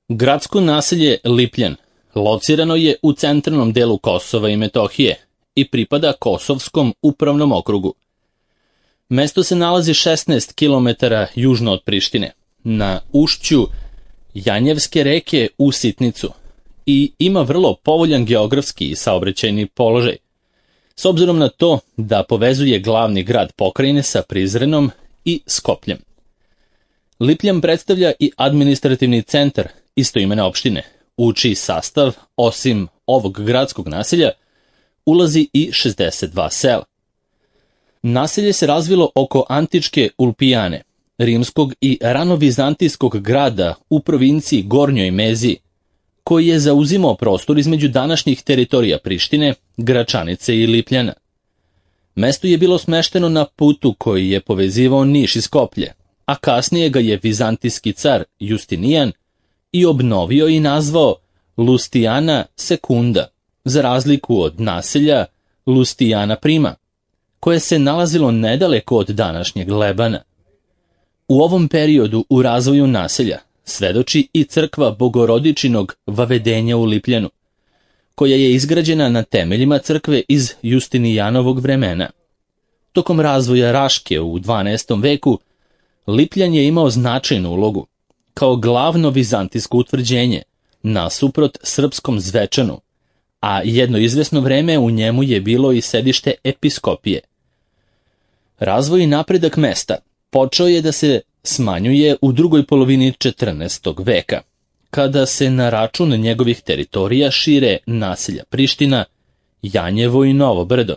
Gradsko naselje Lipljan locirano je u centralnom delu Kosova i Metohije i pripada Kosovskom upravnom okrugu. Mesto se nalazi 16 km južno od Prištine, na ušću Janjevske reke u Sitnicu i ima vrlo povoljan geografski i saobraćajni položaj, s obzirom na to da povezuje glavni grad pokrajine sa Prizrenom i Skopljem. Lipljan predstavlja i administrativni centar istoimene opštine, u čiji sastav, osim ovog gradskog naselja, ulazi i 62 sela. Naselje se razvilo oko antičke Ulpijane, rimskog i ranovizantijskog grada u provinciji Gornjoj Meziji, koji je zauzimao prostor između današnjih teritorija Prištine, Gračanice i Lipljana. Mesto je bilo smešteno na putu koji je povezivao Niš i Skoplje, a kasnije ga je vizantijski car Justinijan i obnovio i nazvao Lustijana Sekunda, za razliku od naselja Lustijana Prima, koje se nalazilo nedaleko od današnjeg Lebana. U ovom periodu u razvoju naselja svedoči i crkva Bogorodičinog Vavedenja u Lipljanu, koja je izgrađena na temeljima crkve iz Justinijanovog vremena. Tokom razvoja Raške u 12. veku, Lipljan je imao značajnu ulogu, kao glavno vizantijsko utvrđenje, nasuprot srpskom Zvečanu, a jedno izvesno vreme u njemu je bilo i sedište episkopije. Razvoj i napredak mesta počeo je da se smanjuje u drugoj polovini 14. veka, kada se na račun njegovih teritorija šire naselja Priština, Janjevo i Novo Brdo,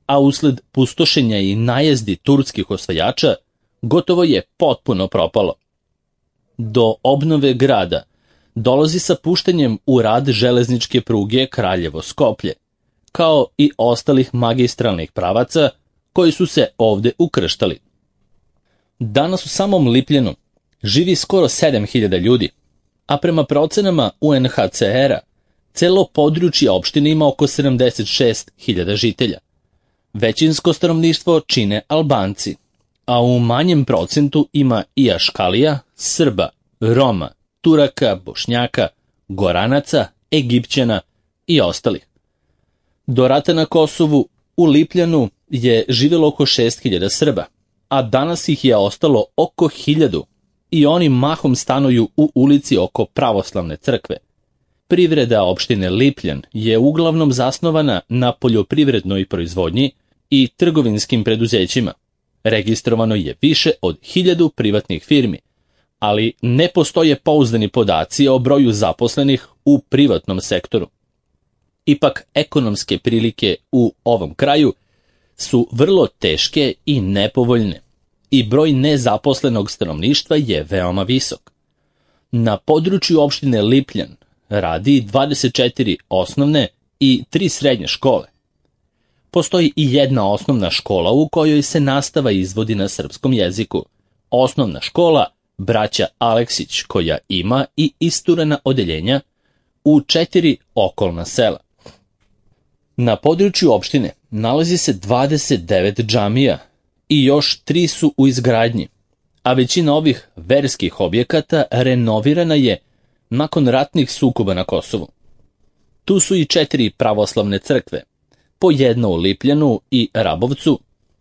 a usled pustošenja i najezdi turskih osvajača gotovo je potpuno propalo. Do obnove grada dolazi sa puštanjem u rad železničke pruge Kraljevo-Skoplje, kao i ostalih magistralnih pravaca koji su se ovde ukrštali. Danas u samom Lipljanu živi skoro 7000 ljudi, a prema procenama UNHCR-a celo područje opštine ima oko 76.000 žitelja. Većinsko stanovništvo čine Albanci, a u manjem procentu ima i Aškalija, Srba, Roma, Turaka, Bošnjaka, Goranaca, Egipćana i ostalih. Do rata na Kosovu u Lipljanu je živjelo oko 6.000 Srba, a danas ih je ostalo oko 1.000 i oni mahom stanuju u ulici oko pravoslavne crkve. Privreda opštine Lipljan je uglavnom zasnovana na poljoprivrednoj proizvodnji i trgovinskim preduzećima. Registrovano je više od 1000 privatnih firmi, ali ne postoje pouzdani podaci o broju zaposlenih u privatnom sektoru. Ipak, ekonomske prilike u ovom kraju su vrlo teške i nepovoljne i broj nezaposlenog stanovništva je veoma visok. Na području opštine Lipljan radi 24 osnovne i 3 srednje škole. Postoji i jedna osnovna škola u kojoj se nastava izvodi na srpskom jeziku. Osnovna škola Braća Aleksić, koja ima i isturena odeljenja u 4 okolna sela. Na području opštine nalazi se 29 džamija i još 3 su u izgradnji, a većina ovih verskih objekata renovirana je nakon ratnih sukoba na Kosovu. Tu su i 4 pravoslavne crkve, po jedno u Lipljanu i Rabovcu,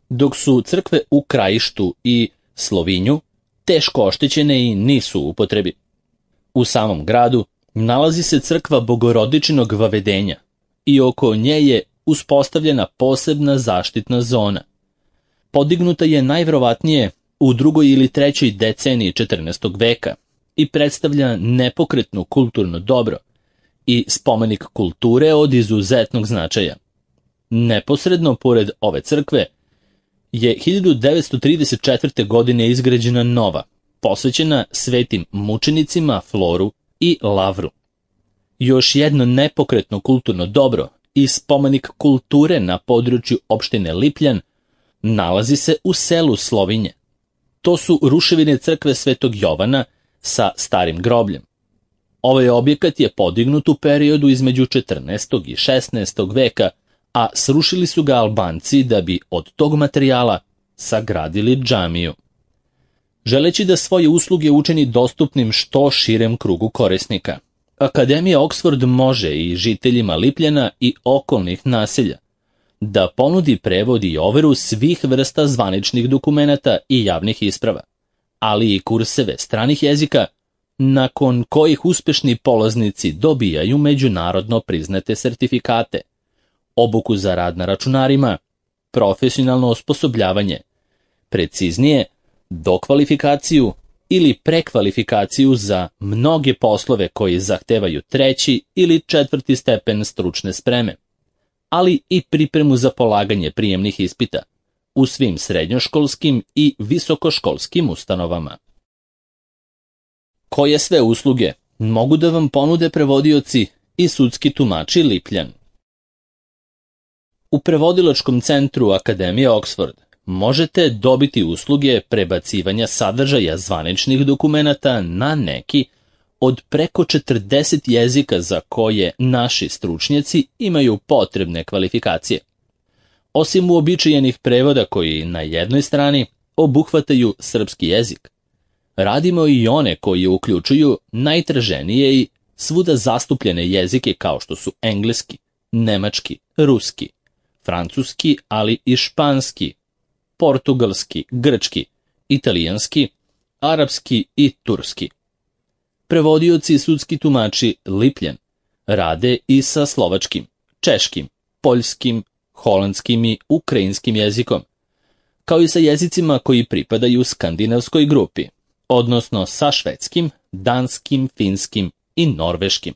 dok su crkve u Krajištu i Slovinju teško oštećene i nisu u upotrebi. U samom gradu nalazi se crkva Bogorodičinog Vavedenja i oko nje je uspostavljena posebna zaštitna zona. Podignuta je najverovatnije u 2. ili 3. deceniji 14. veka i predstavlja nepokretno kulturno dobro i spomenik kulture od izuzetnog značaja. Neposredno pored ove crkve je 1934. godine izgrađena nova, posvećena svetim mučenicima Floru i Lavru. Još jedno nepokretno kulturno dobro i spomenik kulture na području opštine Lipljan nalazi se u selu Slovinje. To su ruševine crkve Svetog Jovana sa starim grobljem. Ovaj objekat je podignut u periodu između 14. i 16. veka, a srušili su ga Albanci da bi od tog materijala sagradili džamiju. želeći da svoje usluge učini dostupnim što širem krugu korisnika. Akademija Oxford može i žiteljima Lipljana i okolnih naselja da ponudi prevod i overu svih vrsta zvaničnih dokumenata i javnih isprava, ali i kurseve stranih jezika, nakon kojih uspešni polaznici dobijaju međunarodno priznate sertifikate, obuku za rad na računarima, profesionalno osposobljavanje, preciznije, dokvalifikaciju ili prekvalifikaciju za mnoge poslove koji zahtevaju 3. ili 4. stepen stručne spreme, ali i pripremu za polaganje prijemnih ispita u svim srednjoškolskim i visokoškolskim ustanovama. Koje sve usluge mogu da vam ponude prevodioci i sudski tumači Lipljan? U prevodilačkom centru Akademije Oxford možete dobiti usluge prebacivanja sadržaja zvaničnih dokumenata na neki od preko 40 jezika za koje naši stručnjaci imaju potrebne kvalifikacije. Osim uobičajenih prevoda koji na jednoj strani obuhvataju srpski jezik, radimo i one koji uključuju najtraženije i svuda zastupljene jezike kao što su engleski, nemački, ruski, francuski, ali i španski, portugalski, grčki, italijanski, arapski i turski. Prevodioci i sudski tumači Lipljan rade i sa slovačkim, češkim, poljskim, holandskim i ukrajinskim jezikom, kao i sa jezicima koji pripadaju skandinavskoj grupi, odnosno sa švedskim, danskim, finskim i norveškim.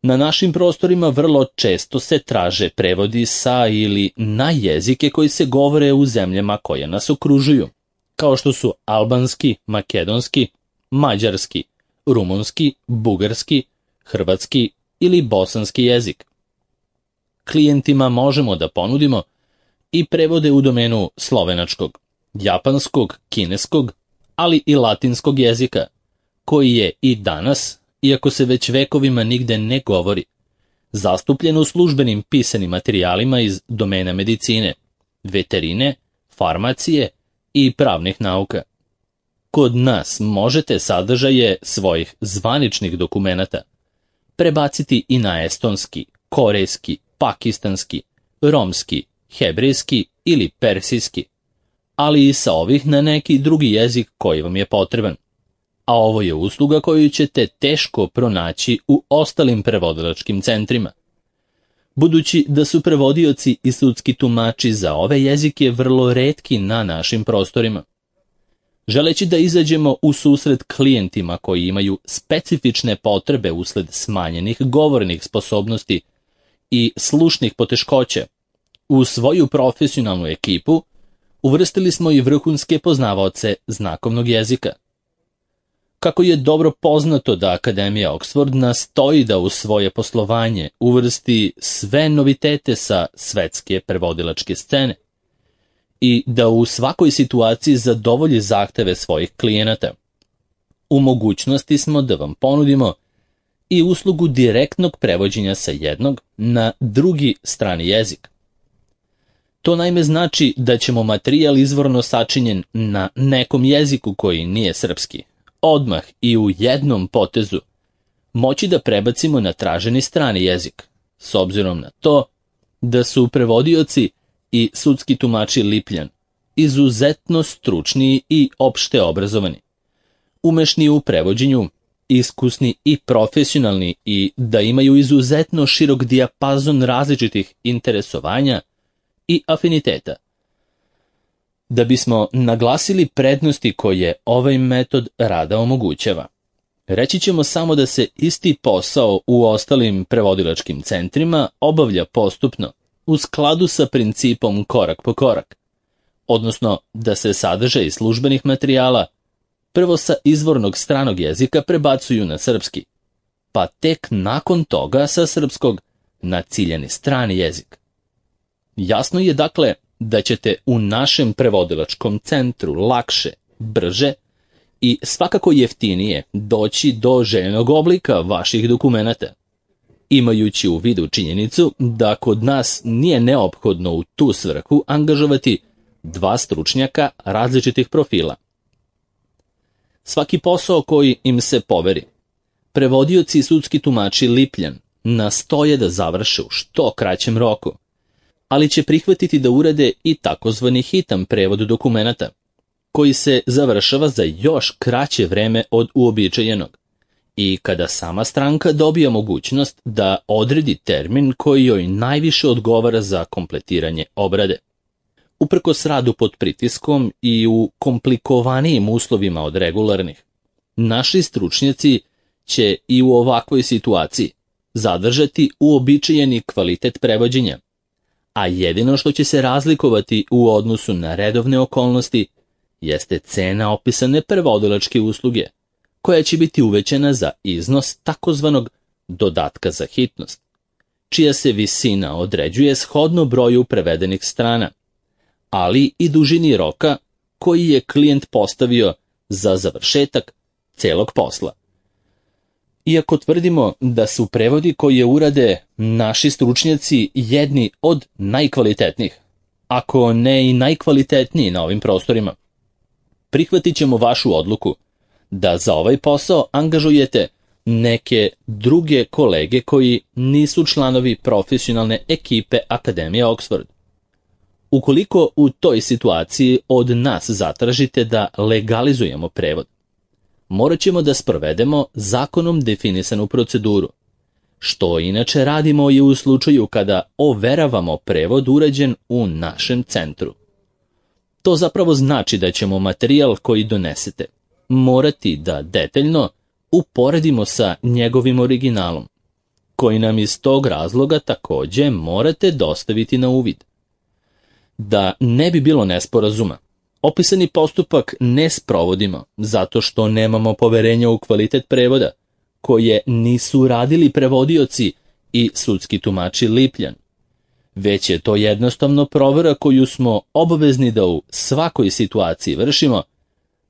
Na našim prostorima vrlo često se traže prevodi sa ili na jezike koji se govore u zemljama koje nas okružuju, kao što su albanski, makedonski, mađarski, rumunski, bugarski, hrvatski ili bosanski jezik. Klijentima možemo da ponudimo i prevode u domenu slovenačkog, japanskog, kineskog, ali i latinskog jezika, koji je i danas, iako se već vekovima nigde ne govori, zastupljen u službenim pisanim materijalima iz domena medicine, veterine, farmacije i pravnih nauka. Kod nas možete sadržaje svojih zvaničnih dokumenata prebaciti i na estonski, korejski, pakistanski, romski, hebrejski ili persijski, ali i sa ovih na neki drugi jezik koji vam je potreban. A ovo je usluga koju ćete teško pronaći u ostalim prevodilačkim centrima. Budući da su prevodioci i sudski tumači za ove jezike vrlo retki na našim prostorima. Želeći da izađemo u susret klijentima koji imaju specifične potrebe usled smanjenih govornih sposobnosti i slušnih poteškoća, u svoju profesionalnu ekipu uvrstili smo i vrhunske poznavaoce znakovnog jezika. Kako je dobro poznato da Akademija Oxford nastoji da u svoje poslovanje uvrsti sve novitete sa svetske prevodilačke scene i da u svakoj situaciji zadovolji zahteve svojih klijenata, u mogućnosti smo da vam ponudimo i uslugu direktnog prevođenja sa jednog na drugi strani jezik. To naime znači da ćemo materijal izvorno sačinjen na nekom jeziku koji nije srpski, odmah i u jednom potezu moći da prebacimo na traženi strani jezik, s obzirom na to da su prevodioci i sudski tumači Lipljan izuzetno stručni i opšte obrazovani, umešni u prevođenju, iskusni i profesionalni i da imaju izuzetno širok dijapazon različitih interesovanja i afiniteta. Da bismo naglasili prednosti koje ovaj metod rada omogućava, reći ćemo samo da se isti posao u ostalim prevodilačkim centrima obavlja postupno, u skladu sa principom korak po korak, odnosno da se sadržaj službenih materijala prvo sa izvornog stranog jezika prebacuju na srpski, pa tek nakon toga sa srpskog na ciljani strani jezik. Jasno je dakle da ćete u našem prevodilačkom centru lakše, brže i svakako jeftinije doći do željenog oblika vaših dokumenata, imajući u vidu činjenicu da kod nas nije neophodno u tu svrhu angažovati dva stručnjaka različitih profila, svaki posao koji im se poveri. Prevodioci i sudski tumači Lipljan nastoje da završe u što kraćem roku, ali će prihvatiti da urade i takozvani hitan prevod dokumenata, koji se završava za još kraće vreme od uobičajenog i kada sama stranka dobija mogućnost da odredi termin koji joj najviše odgovara za kompletiranje obrade. Uprkos radu pod pritiskom i u komplikovanijim uslovima od regularnih, naši stručnjaci će i u ovakvoj situaciji zadržati uobičajeni kvalitet prevođenja, a jedino što će se razlikovati u odnosu na redovne okolnosti jeste cena opisane prevodilačke usluge, koja će biti uvećana za iznos takozvanog dodatka za hitnost, čija se visina određuje shodno broju prevedenih strana, ali i dužini roka koji je klijent postavio za završetak celog posla. Iako tvrdimo da su prevodi koje urade naši stručnjaci jedni od najkvalitetnijih, ako ne i najkvalitetniji na ovim prostorima, prihvatit ćemo vašu odluku da za ovaj posao angažujete neke druge kolege koji nisu članovi profesionalne ekipe Akademije Oxford. Ukoliko u toj situaciji od nas zatražite da legalizujemo prevod, morat ćemo da sprovedemo zakonom definisanu proceduru, što inače radimo i u slučaju kada overavamo prevod urađen u našem centru. To zapravo znači da ćemo materijal koji donesete morati da detaljno uporedimo sa njegovim originalom, koji nam iz tog razloga takođe morate dostaviti na uvid. Da ne bi bilo nesporazuma, opisani postupak ne sprovodimo zato što nemamo poverenja u kvalitet prevoda, koje nisu radili prevodioci i sudski tumači Lipljan, već je to jednostavno provera koju smo obavezni da u svakoj situaciji vršimo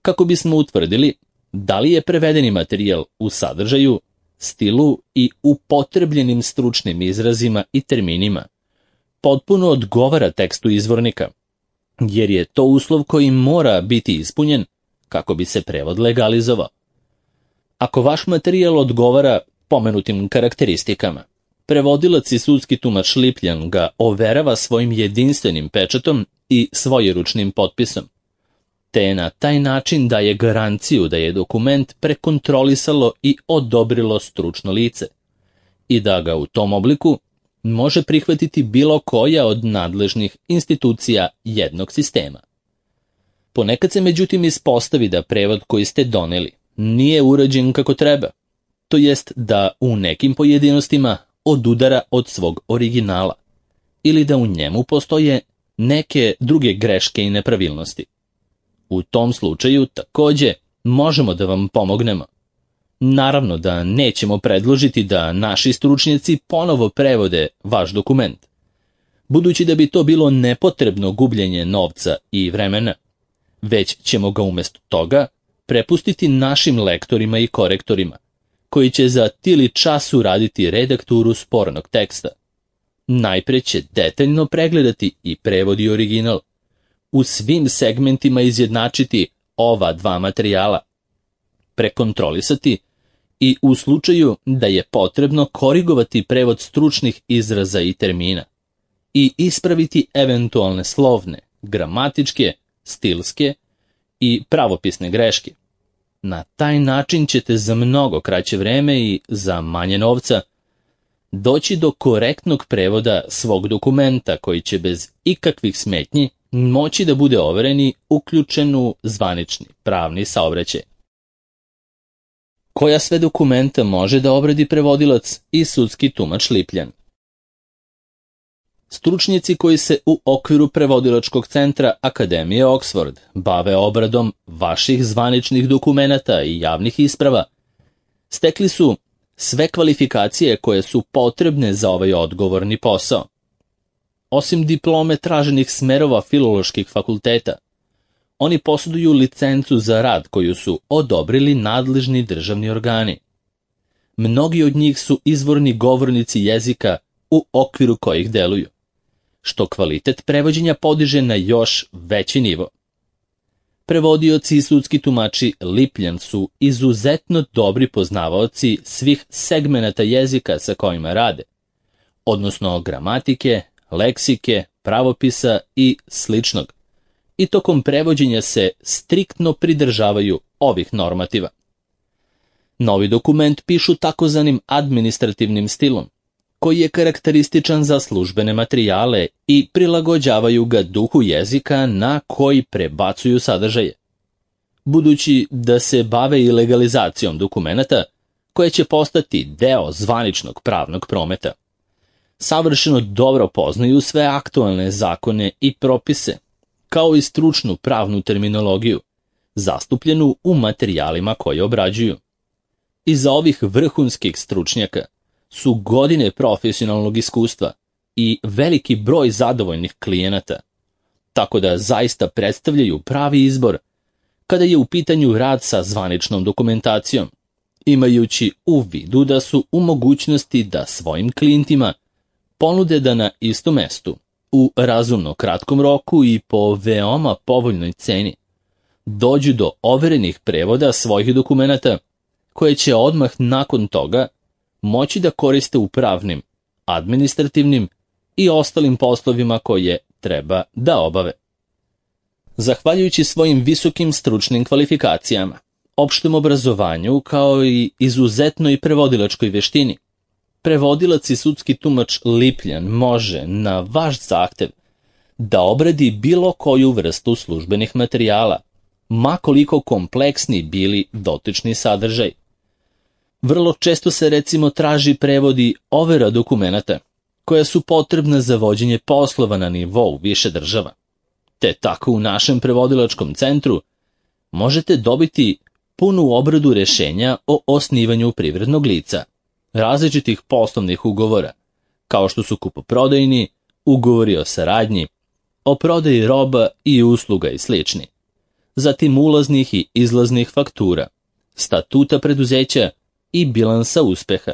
kako bismo utvrdili da li je prevedeni materijal u sadržaju, stilu i upotrebljenim stručnim izrazima i terminima potpuno odgovara tekstu izvornika, jer je to uslov koji mora biti ispunjen kako bi se prevod legalizovao. Ako vaš materijal odgovara pomenutim karakteristikama, prevodilac i sudski tumač Lipljan ga overava svojim jedinstvenim pečatom i svojeručnim potpisom, te na taj način daje garanciju da je dokument prekontrolisalo i odobrilo stručno lice i da ga u tom obliku može prihvatiti bilo koja od nadležnih institucija jednog sistema. Ponekad se međutim ispostavi da prevod koji ste doneli nije urađen kako treba, to jest da u nekim pojedinostima odudara od svog originala ili da u njemu postoje neke druge greške i nepravilnosti. U tom slučaju takođe možemo da vam pomognemo. Naravno da nećemo predložiti da naši stručnjaci ponovo prevode vaš dokument, budući da bi to bilo nepotrebno gubljenje novca i vremena, već ćemo ga umjesto toga prepustiti našim lektorima i korektorima, koji će za tili čas uraditi redakturu spornog teksta. Najpre će detaljno pregledati i prevod i original, u svim segmentima izjednačiti ova dva materijala, prekontrolisati i u slučaju da je potrebno korigovati prevod stručnih izraza i termina i ispraviti eventualne slovne, gramatičke, stilske i pravopisne greške. Na taj način ćete za mnogo kraće vreme i za manje novca doći do korektnog prevoda svog dokumenta koji će bez ikakvih smetnji moći da bude overen i uključen u zvanični pravni saobraćaj. Koja sve dokumenta može da obradi prevodilac i sudski tumač Lipljan? Stručnjaci koji se u okviru prevodilačkog centra Akademije Oxford bave obradom vaših zvaničnih dokumenata i javnih isprava stekli su sve kvalifikacije koje su potrebne za ovaj odgovorni posao. Osim diplome traženih smerova filoloških fakulteta, oni posjeduju licencu za rad koju su odobrili nadležni državni organi. Mnogi od njih su izvorni govornici jezika u okviru kojih deluju, što kvalitet prevođenja podiže na još veći nivo. Prevodioci i sudski tumači Lipljan su izuzetno dobri poznavaoci svih segmenata jezika sa kojima rade, odnosno gramatike, leksike, pravopisa i sličnog. I tokom prevođenja se striktno pridržavaju ovih normativa. Novi dokument pišu takozvanim administrativnim stilom, koji je karakterističan za službene materijale i prilagođavaju ga duhu jezika na koji prebacuju sadržaje. Budući da se bave i legalizacijom dokumenata, koje će postati deo zvaničnog pravnog prometa, savršeno dobro poznaju sve aktualne zakone i propise, kao i stručnu pravnu terminologiju, zastupljenu u materijalima koje obrađuju. Iza ovih vrhunskih stručnjaka su godine profesionalnog iskustva i veliki broj zadovoljnih klijenata, tako da zaista predstavljaju pravi izbor kada je u pitanju rad sa zvaničnom dokumentacijom, imajući u vidu da su u mogućnosti da svojim klijentima ponude da na istom mestu, u razumno kratkom roku i po veoma povoljnoj ceni, dođu do overenih prevoda svojih dokumenata, koje će odmah nakon toga moći da koriste u pravnim, administrativnim i ostalim poslovima koje treba da obave. Zahvaljujući svojim visokim stručnim kvalifikacijama, opštem obrazovanju kao i izuzetnoj prevodilačkoj veštini, prevodilac i sudski tumač Lipljan može na vaš zahtev da obradi bilo koju vrstu službenih materijala, ma koliko kompleksni bili dotični sadržaj. Vrlo često se recimo traži prevodi overa dokumenata, koja su potrebna za vođenje poslova na nivou više država. Te tako u našem prevodilačkom centru možete dobiti punu obradu rešenja o osnivanju privrednog lica, različitih poslovnih ugovora, kao što su kupoprodajni, ugovori o saradnji, o prodaji roba i usluga i slični, zatim ulaznih i izlaznih faktura, statuta preduzeća i bilansa uspeha.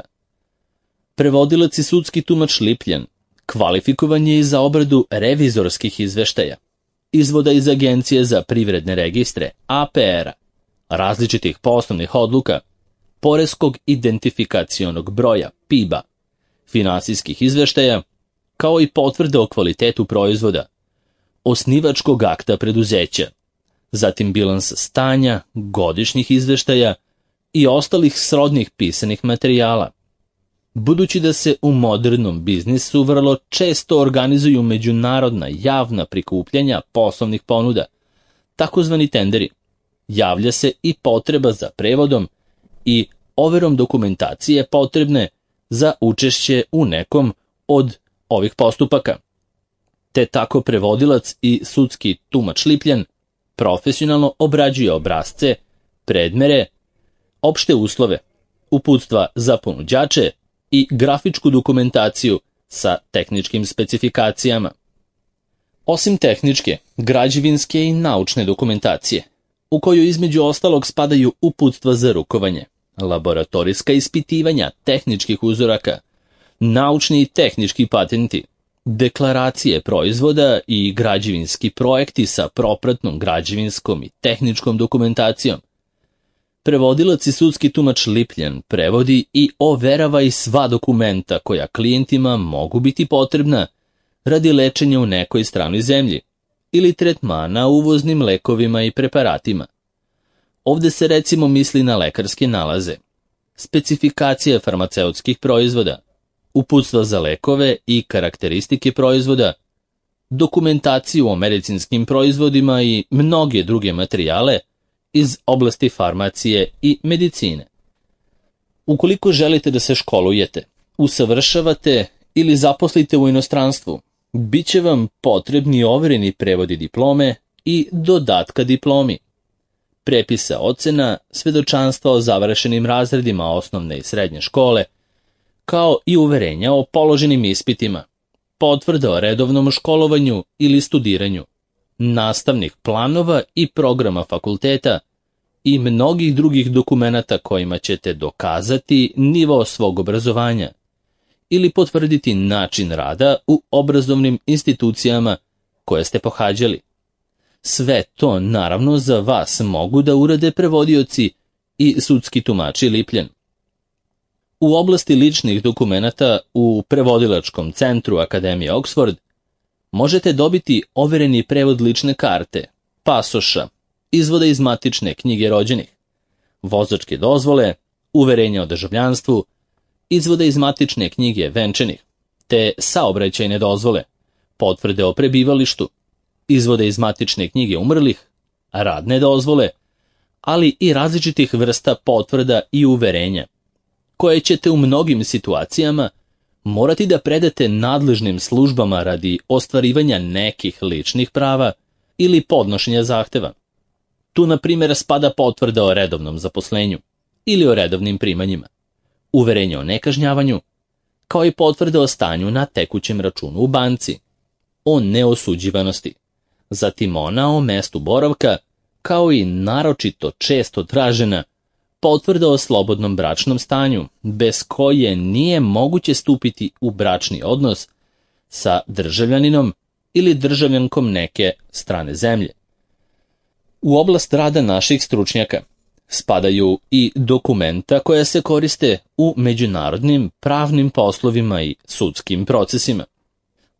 Prevodilac i sudski tumač Lipljan kvalifikovan je i za obradu revizorskih izveštaja, izvoda iz Agencije za privredne registre, APR-a, različitih poslovnih odluka, poreskog identifikacionog broja, PIB-a, finansijskih izveštaja, kao i potvrde o kvalitetu proizvoda, osnivačkog akta preduzeća, zatim bilans stanja, godišnjih izveštaja i ostalih srodnih pisanih materijala. Budući da se u modernom biznisu vrlo često organizuju međunarodna javna prikupljanja poslovnih ponuda, takozvani tenderi, javlja se i potreba za prevodom i overom dokumentacije potrebne za učešće u nekom od ovih postupaka. Te tako prevodilac i sudski tumač Lipljan profesionalno obrađuje obrasce, predmere, opšte uslove, uputstva za ponuđače i grafičku dokumentaciju sa tehničkim specifikacijama. Osim tehničke, građevinske i naučne dokumentacije, u koju između ostalog spadaju uputstva za rukovanje, laboratorijska ispitivanja tehničkih uzoraka, naučni i tehnički patenti, deklaracije proizvoda i građevinski projekti sa propratnom građevinskom i tehničkom dokumentacijom. Prevodilac i sudski tumač Lipljan prevodi i overava i sva dokumenta koja klijentima mogu biti potrebna radi lečenja u nekoj stranoj zemlji ili tretmana uvoznim lekovima i preparatima. Ovde se recimo misli na lekarske nalaze, specifikacije farmaceutskih proizvoda, uputstva za lekove i karakteristike proizvoda, dokumentaciju o medicinskim proizvodima i mnoge druge materijale iz oblasti farmacije i medicine. Ukoliko želite da se školujete, usavršavate ili zaposlite u inostranstvu, bit će vam potrebni overeni prevodi diplome i dodatka diplomi, prepisa ocena, svedočanstva o završenim razredima osnovne i srednje škole, kao i uverenja o položenim ispitima, potvrda o redovnom školovanju ili studiranju, nastavnih planova i programa fakulteta i mnogih drugih dokumenata kojima ćete dokazati nivo svog obrazovanja ili potvrditi način rada u obrazovnim institucijama koje ste pohađali. Sve to naravno za vas mogu da urade prevodioci i sudski tumači Lipljan. U oblasti ličnih dokumenata u prevodilačkom centru Akademije Oxford možete dobiti overeni prevod lične karte, pasoša, izvoda iz matične knjige rođenih, vozačke dozvole, uverenja o državljanstvu, izvoda iz matične knjige venčanih, te saobraćajne dozvole, potvrde o prebivalištu, izvode iz matične knjige umrlih, radne dozvole, ali i različitih vrsta potvrda i uverenja, koje ćete u mnogim situacijama morati da predate nadležnim službama radi ostvarivanja nekih ličnih prava ili podnošenja zahteva. Tu, na primjer, spada potvrda o redovnom zaposlenju ili o redovnim primanjima, uverenje o nekažnjavanju, kao i potvrda o stanju na tekućem računu u banci, o neosuđivanosti, zatim ona o mestu boravka, kao i naročito često tražena potvrda o slobodnom bračnom stanju, bez koje nije moguće stupiti u bračni odnos sa državljaninom ili državljankom neke strane zemlje. U oblast rada naših stručnjaka spadaju i dokumenta koja se koriste u međunarodnim pravnim poslovima i sudskim procesima.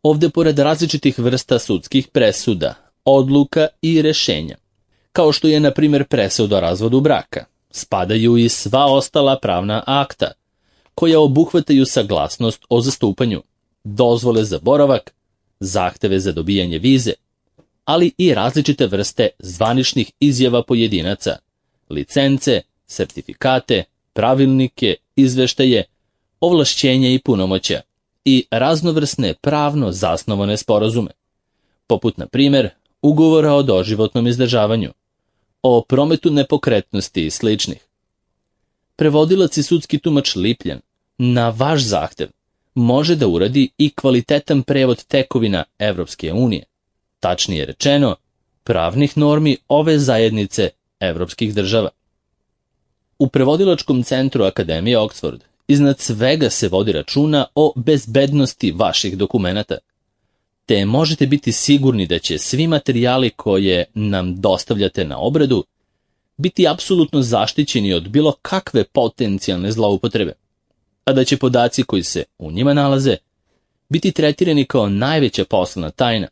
Ovde, pored različitih vrsta sudskih presuda, odluka i rešenja, kao što je, na primjer, presuda o razvodu braka, spadaju i sva ostala pravna akta, koja obuhvataju saglasnost o zastupanju, dozvole za boravak, zahteve za dobijanje vize, ali i različite vrste zvaničnih izjava pojedinaca, licence, sertifikate, pravilnike, izveštaje, ovlašćenja i punomoćja i raznovrsne pravno zasnovane sporazume, poput, na primjer, ugovora o doživotnom izdržavanju, o prometu nepokretnosti i sličnih. Prevodilac i sudski tumač Lipljan na vaš zahtev može da uradi i kvalitetan prevod tekovina Evropske unije, tačnije rečeno, pravnih normi ove zajednice evropskih država. U prevodilačkom centru Akademije Oxford iznad svega se vodi računa o bezbednosti vaših dokumenata, te možete biti sigurni da će svi materijali koje nam dostavljate na obradu biti apsolutno zaštićeni od bilo kakve potencijalne zloupotrebe, a da će podaci koji se u njima nalaze biti tretirani kao najveća poslovna tajna.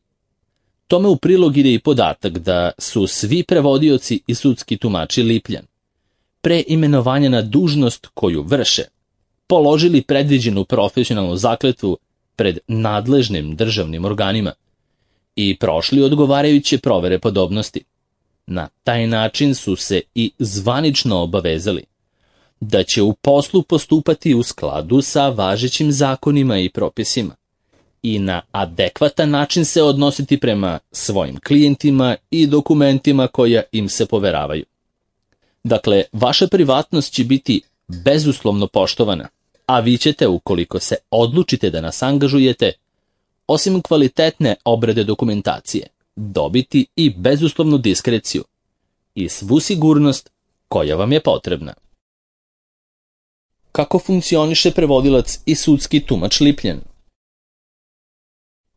Tome u prilog ide i podatak da su svi prevodioci i sudski tumači Lipljan pre imenovanja na dužnost koju vrše položili predviđenu profesionalnu zakletvu pred nadležnim državnim organima i prošli odgovarajuće provere podobnosti. Na taj način su se i zvanično obavezali da će u poslu postupati u skladu sa važećim zakonima i propisima i na adekvatan način se odnositi prema svojim klijentima i dokumentima koja im se poveravaju. Dakle, vaša privatnost će biti bezuslovno poštovana, a vi ćete, ukoliko se odlučite da nas angažujete, osim kvalitetne obrade dokumentacije, dobiti i bezuslovnu diskreciju i svu sigurnost koja vam je potrebna. Kako funkcioniše prevodilac i sudski tumač Lipljan?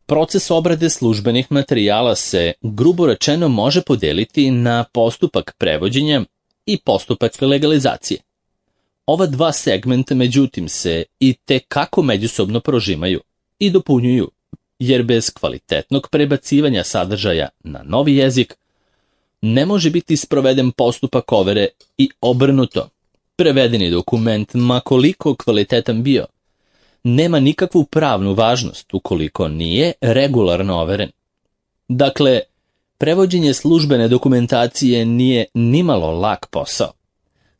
Proces obrade službenih materijala se, grubo rečeno, može podeliti na postupak prevođenja i postupak legalizacije. Ova dva segmenta, međutim, se i tekako međusobno prožimaju i dopunjuju, jer bez kvalitetnog prebacivanja sadržaja na novi jezik ne može biti sproveden postupak overe i obrnuto. Prevedeni dokument, ma koliko kvalitetan bio, nema nikakvu pravnu važnost ukoliko nije regularno overen. Dakle, prevođenje službene dokumentacije nije nimalo lak posao,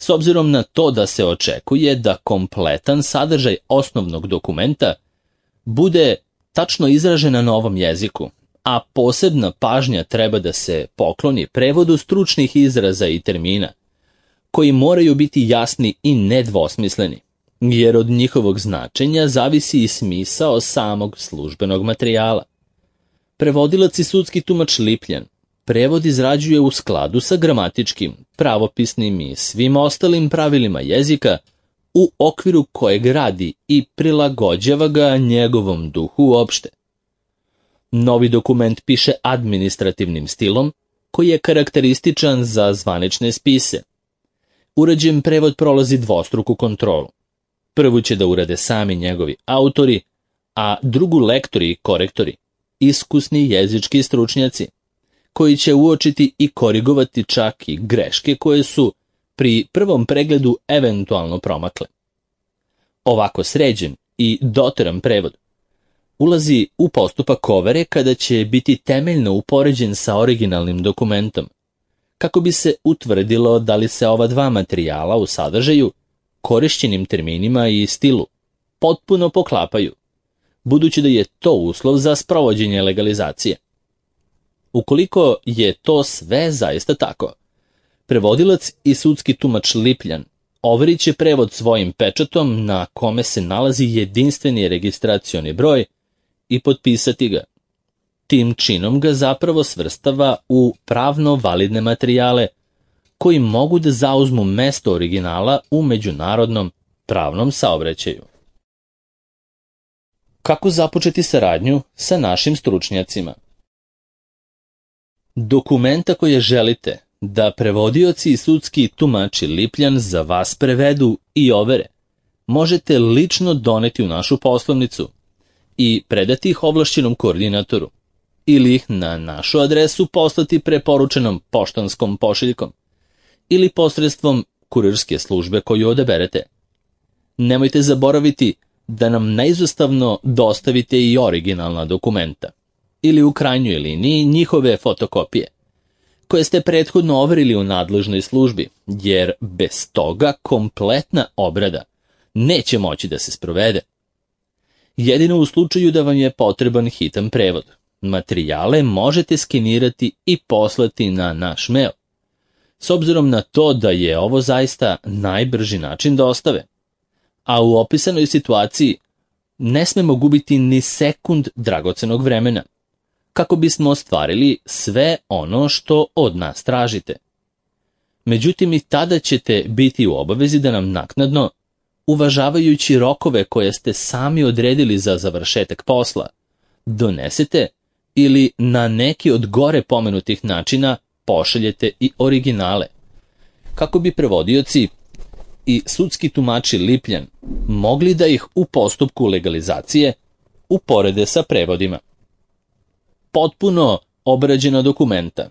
s obzirom na to da se očekuje da kompletan sadržaj osnovnog dokumenta bude tačno izražen na novom jeziku, a posebna pažnja treba da se pokloni prevodu stručnih izraza i termina, koji moraju biti jasni i nedvosmisleni, jer od njihovog značenja zavisi i smisao samog službenog materijala. Prevodilac i sudski tumač Lipljan prevod izrađuje u skladu sa gramatičkim, pravopisnim i svim ostalim pravilima jezika u okviru kojeg radi i prilagođava ga njegovom duhu uopšte. Novi dokument piše administrativnim stilom koji je karakterističan za zvanične spise. Urađen prevod prolazi dvostruku kontrolu. Prvu će da urade sami njegovi autori, a drugu lektori i korektori, iskusni jezički stručnjaci, koji će uočiti i korigovati čak i greške koje su pri prvom pregledu eventualno promakle. Ovako sređen i doteran prevod ulazi u postupak overe kada će biti temeljno upoređen sa originalnim dokumentom, kako bi se utvrdilo da li se ova dva materijala u sadržaju, korišćenim terminima i stilu potpuno poklapaju, budući da je to uslov za sprovođenje legalizacije. Ukoliko je to sve zaista tako, prevodilac i sudski tumač Lipljan overit će prevod svojim pečatom na kome se nalazi jedinstveni registracioni broj i potpisati ga. Tim činom ga zapravo svrstava u pravno validne materijale koji mogu da zauzmu mesto originala u međunarodnom pravnom saobraćaju. Kako započeti saradnju sa našim stručnjacima? Dokumenta koje želite da prevodioci i sudski tumači Lipljan za vas prevedu i overe, možete lično doneti u našu poslovnicu i predati ih ovlašćenom koordinatoru ili ih na našu adresu poslati preporučenom poštanskom pošiljkom ili posredstvom kurirske službe koju odaberete. Nemojte zaboraviti da nam neizostavno dostavite i originalna dokumenta ili u krajnjoj liniji njihove fotokopije, koje ste prethodno overili u nadležnoj službi, jer bez toga kompletna obrada neće moći da se sprovede. Jedino u slučaju da vam je potreban hitan prevod, materijale možete skenirati i poslati na naš mail, s obzirom na to da je ovo zaista najbrži način dostave. A u opisanoj situaciji ne smemo gubiti ni sekund dragocenog vremena, kako bismo ostvarili sve ono što od nas tražite. Međutim, i tada ćete biti u obavezi da nam naknadno, uvažavajući rokove koje ste sami odredili za završetak posla, donesete ili na neki od gore pomenutih načina pošaljete i originale, kako bi prevodioci i sudski tumači Lipljan mogli da ih u postupku legalizacije uporede sa prevodima. Potpuno obrađena dokumenta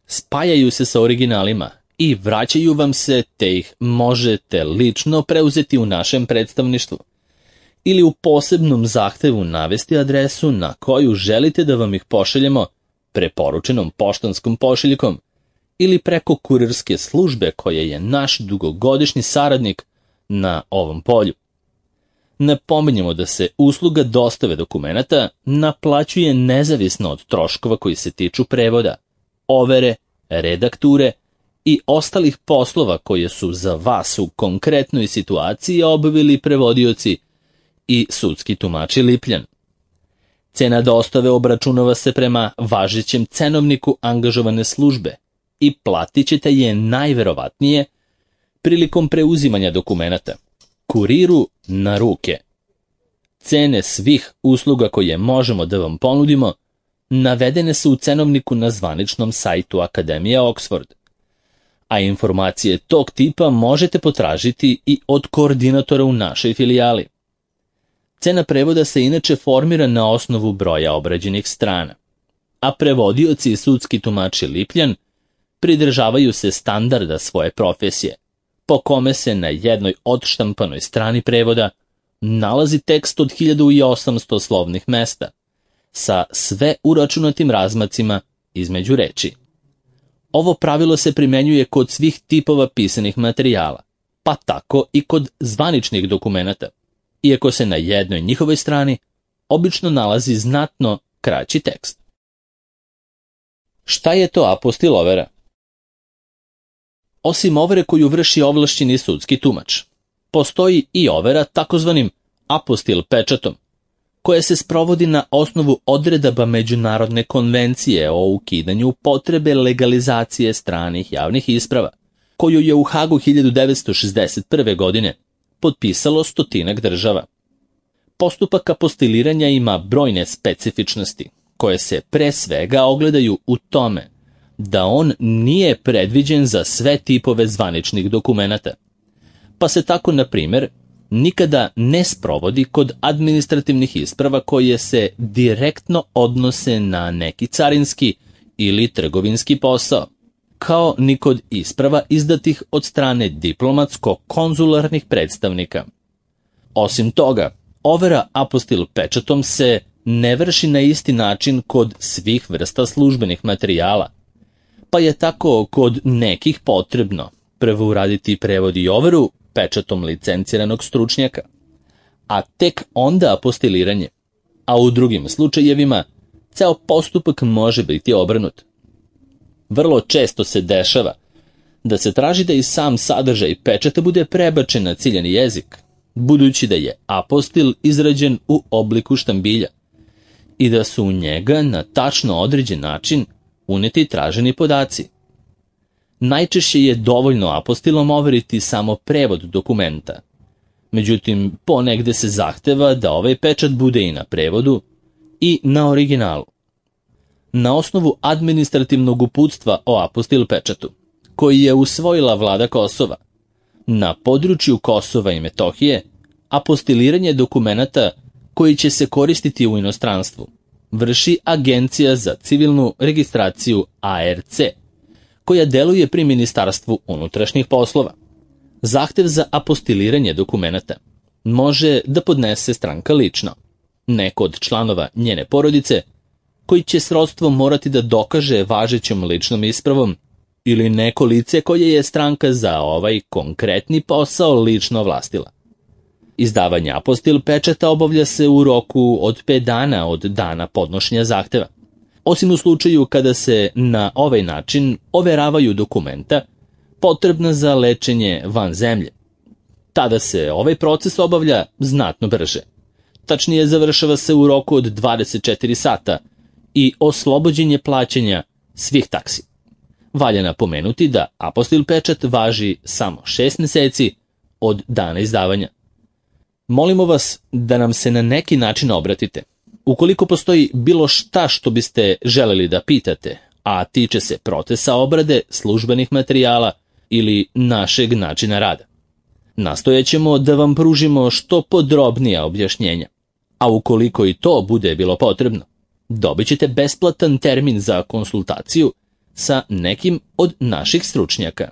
spajaju se sa originalima i vraćaju vam se, te ih možete lično preuzeti u našem predstavništvu ili u posebnom zahtevu navesti adresu na koju želite da vam ih pošaljemo preporučenom poštanskom pošiljkom ili preko kurirske službe koja je naš dugogodišnji saradnik na ovom polju. Napominjemo da se usluga dostave dokumenata naplaćuje nezavisno od troškova koji se tiču prevoda, overe, redakture i ostalih poslova koje su za vas u konkretnoj situaciji obavili prevodioci i sudski tumači Lipljan. Cena dostave obračunava se prema važećem cenovniku angažovane službe i platit ćete je najverovatnije prilikom preuzimanja dokumenata, kuriru na ruke. Cene svih usluga koje možemo da vam ponudimo navedene su u cenovniku na zvaničnom sajtu Akademije Oxford, a informacije tog tipa možete potražiti i od koordinatora u našoj filijali. Cena prevoda se inače formira na osnovu broja obrađenih strana, a prevodioci i sudski tumači Lipljan pridržavaju se standarda svoje profesije, po kome se na jednoj odštampanoj strani prevoda nalazi tekst od 1800 slovnih mesta, sa sve uračunatim razmacima između reči. Ovo pravilo se primenjuje kod svih tipova pisanih materijala, pa tako i kod zvaničnih dokumenata, iako se na jednoj njihovoj strani obično nalazi znatno kraći tekst. Šta je to apostil overa? Osim overe koju vrši ovlašćeni sudski tumač, postoji i overa takozvanim apostil pečatom, koja se sprovodi na osnovu odredaba Međunarodne konvencije o ukidanju potrebe legalizacije stranih javnih isprava, koju je u Hagu 1961. godine potpisalo 100 država. Postupak apostiliranja ima brojne specifičnosti, koje se pre svega ogledaju u tome da on nije predviđen za sve tipove zvaničnih dokumenata. Pa se tako, na primjer, nikada ne sprovodi kod administrativnih isprava koje se direktno odnose na neki carinski ili trgovinski posao, kao ni kod isprava izdatih od strane diplomatsko-konzularnih predstavnika. Osim toga, overa apostil pečatom se ne vrši na isti način kod svih vrsta službenih materijala, pa je tako kod nekih potrebno prvo uraditi prevod i overu pečatom licenciranog stručnjaka, a tek onda apostiliranje, a u drugim slučajevima ceo postupak može biti obrnut. Vrlo često se dešava da se traži da i sam sadržaj pečata bude prebačen na ciljani jezik, budući da je apostil izrađen u obliku štambilja i da su u njega na tačno određen način uneti traženi podaci. Najčešće je dovoljno apostilom overiti samo prevod dokumenta. Međutim, ponegde se zahteva da ovaj pečat bude i na prevodu i na originalu. Na osnovu administrativnog uputstva o apostil pečatu, koji je usvojila vlada Kosova, na području Kosova i Metohije, apostiliranje dokumenata koji će se koristiti u inostranstvu vrši Agencija za civilnu registraciju ARC, koja deluje pri Ministarstvu unutrašnjih poslova. Zahtev za apostiliranje dokumenata može da podnese stranka lično, neko od članova njene porodice, koji će srodstvo morati da dokaže važećom ličnom ispravom, ili neko lice koje je stranka za ovaj konkretni posao lično ovlastila. Izdavanje apostil pečata obavlja se u roku od 5 dana od dana podnošenja zahteva, osim u slučaju kada se na ovaj način overavaju dokumenta potrebna za lečenje van zemlje. Tada se ovaj proces obavlja znatno brže. Tačnije, završava se u roku od 24 sata i oslobođen je plaćanja svih taksi. Valja napomenuti da apostil pečat važi samo 6 meseci od dana izdavanja. Molimo vas da nam se na neki način obratite. Ukoliko postoji bilo šta što biste želeli da pitate, a tiče se procesa obrade službenih materijala ili našeg načina rada, nastojaćemo da vam pružimo što podrobnija objašnjenja, a ukoliko i to bude bilo potrebno, dobit ćete besplatan termin za konsultaciju sa nekim od naših stručnjaka.